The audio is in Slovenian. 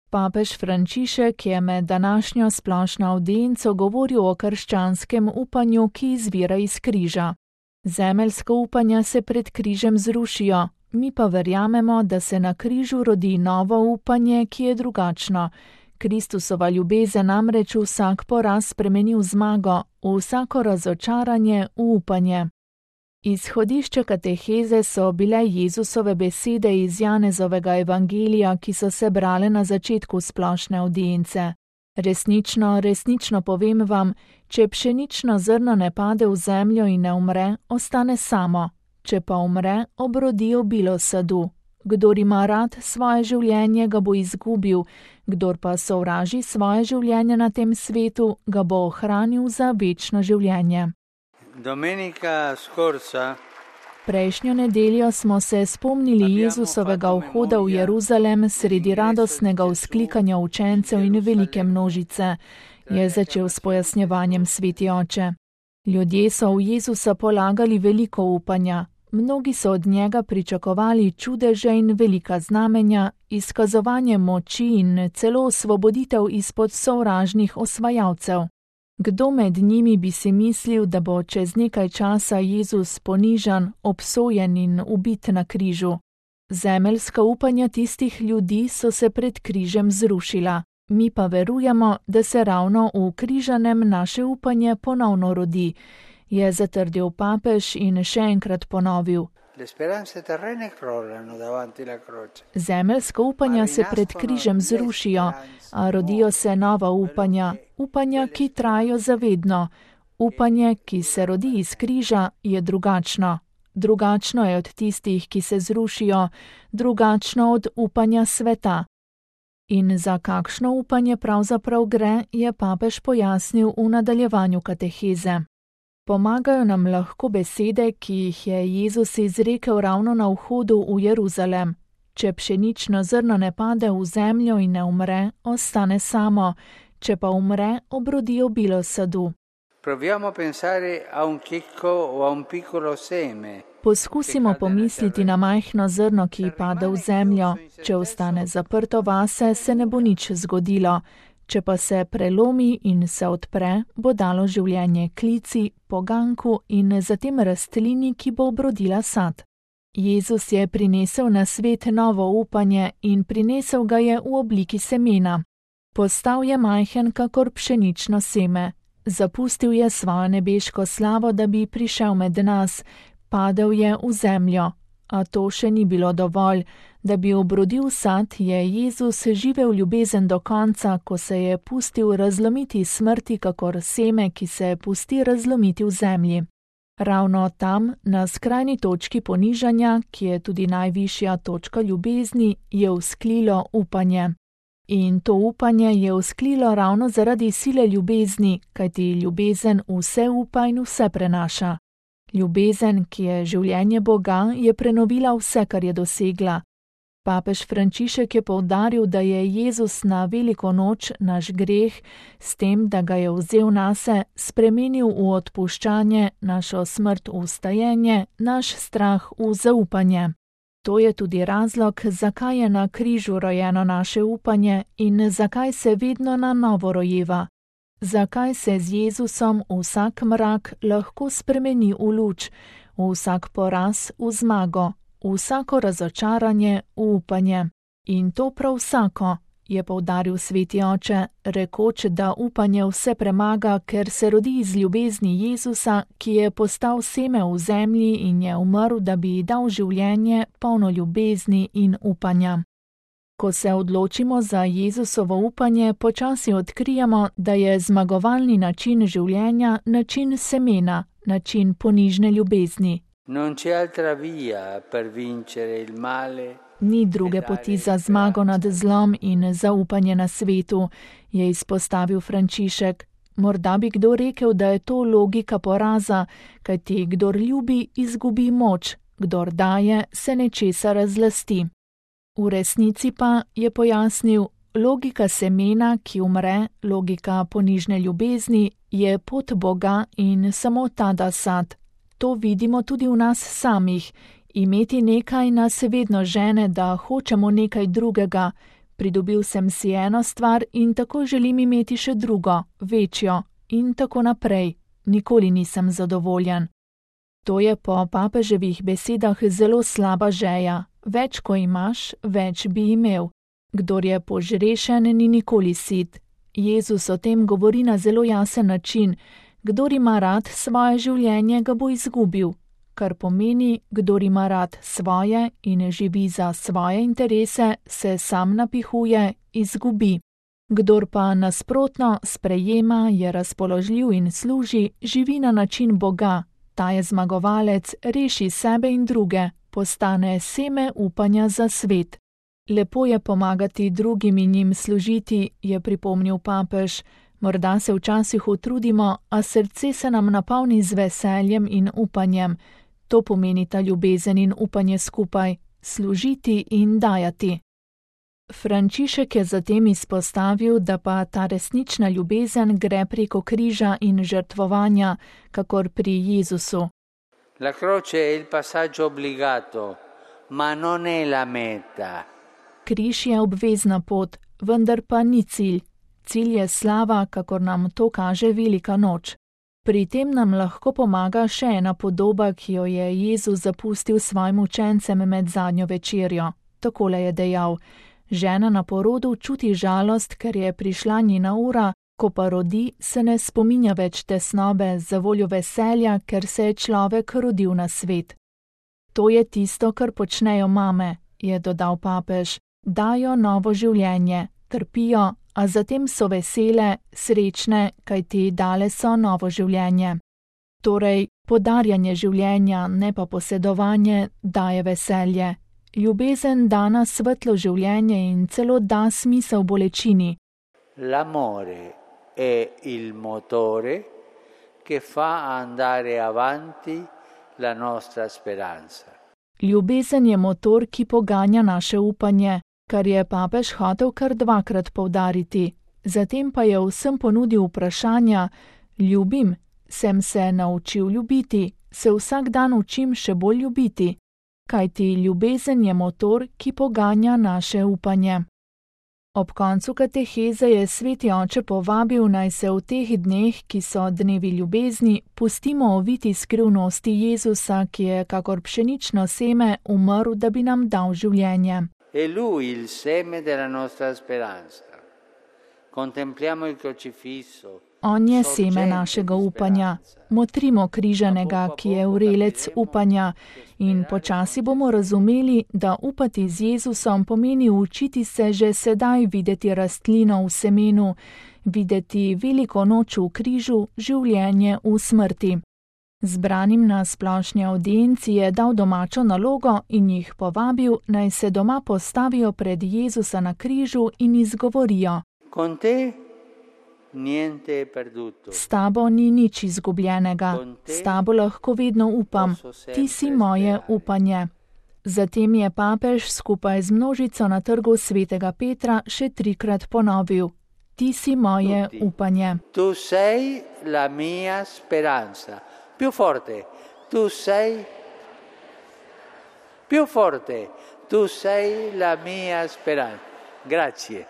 Papež Frančišek je med današnjo splošno avdienco govoril o krščanskem upanju, ki izvira iz križa. Zemeljska upanja se pred križem zrušijo, mi pa verjamemo, da se na križu rodi novo upanje, ki je drugačno. Kristusova ljubezen namreč vsak poraz spremeni v zmago, vsako razočaranje v upanje. Izhodišče kateheze so bile Jezusove besede iz Janezovega evangelija, ki so se brale na začetku splošne avdience. Resnično, resnično povem vam, če pšenično zrno ne pade v zemljo in ne umre, ostane samo, če pa umre, obrodi obilo sadu. Kdor ima rad svoje življenje, ga bo izgubil, kdor pa sovraži svoje življenje na tem svetu, ga bo ohranil za večno življenje. Domenica scorsa Prejšnjo nedeljo smo se spomnili Jezusovega vhoda v Jeruzalem sredi radostnega vzklikanja učencev in velike množice, je začel s pojasnjevanjem sveti oče. Ljudje so v Jezusa polagali veliko upanja. Mnogi so od njega pričakovali čudeže in velika znamenja, izkazovanje moči in celo osvoboditev izpod sovražnih osvajalcev. Kdo med njimi bi si mislil, da bo čez nekaj časa Jezus ponižan, obsojen in ubit na križu? Zemeljska upanja tistih ljudi so se pred križem zrušila. Mi pa verujemo, da se ravno v križanem naše upanje ponovno rodi, je zatrdil papež in še enkrat ponovil. Zemeljska upanja se pred križem zrušijo, a rodijo se nova upanja, upanja, ki trajajo zavedno. Upanje, ki se rodi iz križa, je drugačno. Drugačno je od tistih, ki se zrušijo, drugačno od upanja sveta. In za kakšno upanje pravzaprav gre, je papež pojasnil v nadaljevanju kateheze. Pomagajo nam lahko besede, ki jih je Jezus izrekel ravno na vhodu v Jeruzalem. Če pšenično zrno ne pade v zemljo in ne umre, ostane samo, če pa umre, obrodi obilo sadu. Poskusimo pomisliti na majhno zrno, ki pade v zemljo. Če ostane zaprto vase, se ne bo nič zgodilo. Če pa se prelomi in se odpre, bo dalo življenje klici, poganku in zatem rastlini, ki bo obrodila sad. Jezus je prinesel na svet novo upanje in prinesel ga je v obliki semena. Postal je majhen kakor pšenično seme. Zapustil je svojo nebeško slavo, da bi prišel med nas. Padel je v zemljo. A to še ni bilo dovolj. Da bi obrodil sad, je Jezus živel ljubezen do konca, ko se je pustil razlomiti smrti kakor seme, ki se pusti razlomiti v zemlji. Ravno tam, na skrajni točki ponižanja, ki je tudi najvišja točka ljubezni, je vzklilo upanje. In to upanje je vzklilo ravno zaradi sile ljubezni, kajti ljubezen vse upa in vse prenaša. Ljubezen, ki je življenje Boga, je prenovila vse, kar je dosegla. Papež Frančišek je poudaril, da je Jezus na veliko noč naš greh, s tem, da ga je vzel nase, spremenil v odpuščanje, našo smrt v vstajenje, naš strah v zaupanje. To je tudi razlog, zakaj je na križu rojeno naše upanje in zakaj se vedno na novo rojeva. Zakaj se z Jezusom vsak mrak lahko spremeni v luč, vsak poraz v zmago, vsako razočaranje v upanje. In to prav vsako, je poudaril sveti oče, rekoč, da upanje vse premaga, ker se rodi iz ljubezni Jezusa, ki je postal seme v zemlji in je umrl, da bi dal življenje polno ljubezni in upanja. Ko se odločimo za Jezusovo upanje, počasi odkrijemo, da je zmagovalni način življenja način semena, način ponižne ljubezni. Ni druge poti za zmago nad zlom in zaupanje na svetu, je izpostavil Frančišek. Morda bi kdo rekel, da je to logika poraza, kajti kdor ljubi, izgubi moč, kdor daje, se nečesa razlasti. V resnici pa, je pojasnil, logika semena, ki umre, logika ponižne ljubezni, je pot Boga in samo ta da sad. To vidimo tudi v nas samih. Imeti nekaj nas vedno žene, da hočemo nekaj drugega. Pridobil sem si eno stvar in tako želim imeti še drugo, večjo in tako naprej. Nikoli nisem zadovoljen. To je po papeževih besedah zelo slaba želja. Več ko imaš, več bi imel. Kdor je požrešen, ni nikoli sit. Jezus o tem govori na zelo jasen način. Kdor ima rad svoje življenje, ga bo izgubil. Kar pomeni, kdor ima rad svoje in živi za svoje interese, se sam napihuje, izgubi. Kdor pa nasprotno sprejema, je razpoložljiv in služi, živi na način Boga. Ta je zmagovalec, reši sebe in druge, postane seme upanja za svet. Lepo je pomagati drugim in njim služiti, je pripomnil papež. Morda se včasih utrudimo, a srce se nam napolni z veseljem in upanjem. To pomeni ta ljubezen in upanje skupaj, služiti in dajati. Frančišek je zatem izpostavil, da pa ta resnična ljubezen gre preko križa in žrtvovanja, kakor pri Jezusu. La croce è il passaggio obbligato, ma non è la meta. Križ je obvezna pot, vendar pa ni cilj. Cilj je slava, kakor nam to kaže velika noč. Pri tem nam lahko pomaga še ena podoba, ki jo je Jezus zapustil svojim učencem med zadnjo večerjo. Takole je dejal: žena na porodu čuti žalost, ker je prišla njena ura, ko pa rodi, se ne spominja več tesnobe za voljo veselja, ker se je človek rodil na svet. To je tisto, kar počnejo mame, je dodal papež. Dajo novo življenje, trpijo, a zatem so vesele, srečne, kajti dale so novo življenje. Torej, podarjanje življenja, ne pa posedovanje, daje veselje. Ljubezen da na svetlo življenje in celo da smisel bolečini. L'amore è il motore che fa andare avanti la nostra speranza. Ljubezen je motor, ki poganja naše upanje, kar je papež hotel kar dvakrat poudariti. Zatem pa je vsem ponudil vprašanja: ljubim, sem se naučil ljubiti, se vsak dan učim še bolj ljubiti. Kajti ljubezen je motor, ki poganja naše upanje. Ob koncu kateheze je sveti oče povabil, naj se v teh dneh, ki so dnevi ljubezni, pustimo oviti skrivnosti Jezusa, ki je kakor pšenično seme umrl, da bi nam dal življenje. È lui il seme della nostra speranza. Contempliamo il crocifisso. On je seme našega upanja. Motrimo križanega, ki je vrelec upanja, in počasi bomo razumeli, da upati z Jezusom pomeni učiti se že sedaj videti rastlino v semenu, videti veliko noč v križu, življenje v smrti. Zbranim na splošni avdienci je dal domačo nalogo in jih povabil, naj se doma postavijo pred Jezusa na križu in izgovorijo: Con te niente è perduto. S tabo ni nič izgubljenega, s tabo lahko vedno upam, ti si moje upanje. Zatem je papež skupaj z množico na trgu svetega Petra še 3krat ponovil: ti si moje upanje. Tu sei la mia speranza. Più forte. Tu sei più forte. Tu sei la mia speranza. Grazie.